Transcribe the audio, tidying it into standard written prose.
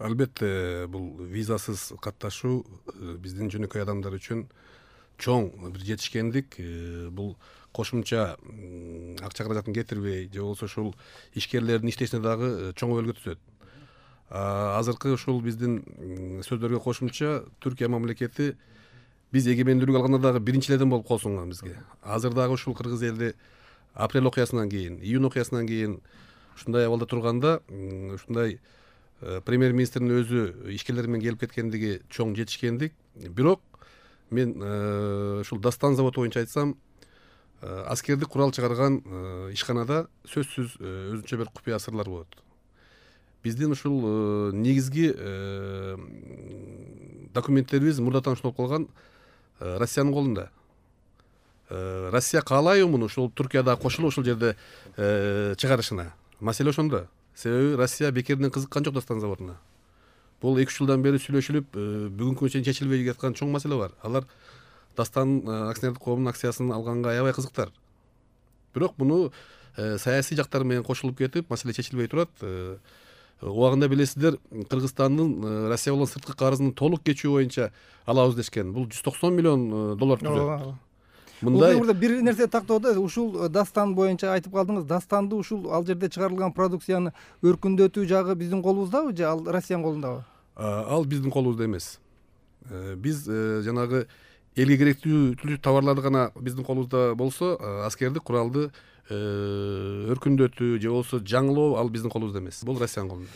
Албетте, бул визасыз катташуу биздин жөнөкөй адамдар үчүн чоң бир жетишкендик. Бул кошумча акча каражатын кетирбей, же болбосо ушул ишкерлердин иштешине дагы чоң өбөлгө түзөт. Азыркы ушул биздин сөздөргө кошумча Түркия мамлекети биз эгемендүүлүк алганда дагы биринчи элден болуп кол сунган бизге. Азыр дагы ушул кыргыз элди апрель окуясынан кийин, июнь окуясынан кийин ушундай абалда турганда, ушундай премьер-министрдин өзү ишкерлер менен келип кеткендиги чоң жетишкендик. Бирок мен ушул Дастан заводу боюнча айтсам, аскердик курал чыгарган ишканада сөзсүз өзүнчө бир купуя сырлар болот. Биздин ушул негизги документтерибиз мурдатан ушунтип калган Россиянын колунда. Россия каалайбы муну ушул Түркияда кошулуп ушул жерде чыгарышына? Маселе ошондо. Себеби Россия бекерден кызыккан жок Дастан заводуна. Бул 2-3 жылдан бери сүйлөшүлүп, бүгүнкү күнү чейин чечилбей жаткан чоң маселе бар. Алар Дастан акционердик коомунун акциясын алганга аябай кызыктар. Бирок муну саясий жактары менен кошулуп кетип, маселе чечилбей турат. Убагында билесиздер, Кыргызстандын Россия болгон сырткы карызын толук кечүү боюнча алабыз дешкен. Бул $190 миллион түзөт. Мындай burada бир нерсе тактоодо, ушул Дастан боюнча айтып калдыңыз. Dastanды ушул ал жерде чыгарылган продукцияны өркүндөтүү жагы биздин колубуздабы же ал Россиянын колундабы? Ал биздин колубузда эмес. Биз жанагы элге керектүү товарларды гана биздин колубузда болсо, аскердик куралды өркүндөтүү же болбосо жаңылоо ал биздин колубузда эмес. Бул Россиянын колунда.